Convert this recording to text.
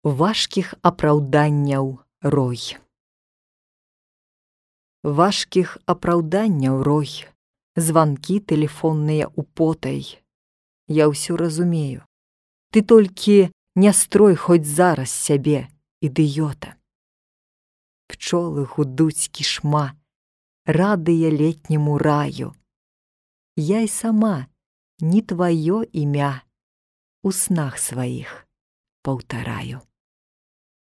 Важкіх апраўданняў рой. Важкіх апраўданняў рой, званкі тэлефонныя употай. Я ўсё разумею. Ты толькі не строй хоць зараз сябе, ідыёта. Пчолы гудуць кішма, радыя летняму раю. Я і сама не тваё імя у снах сваіх паўтараю.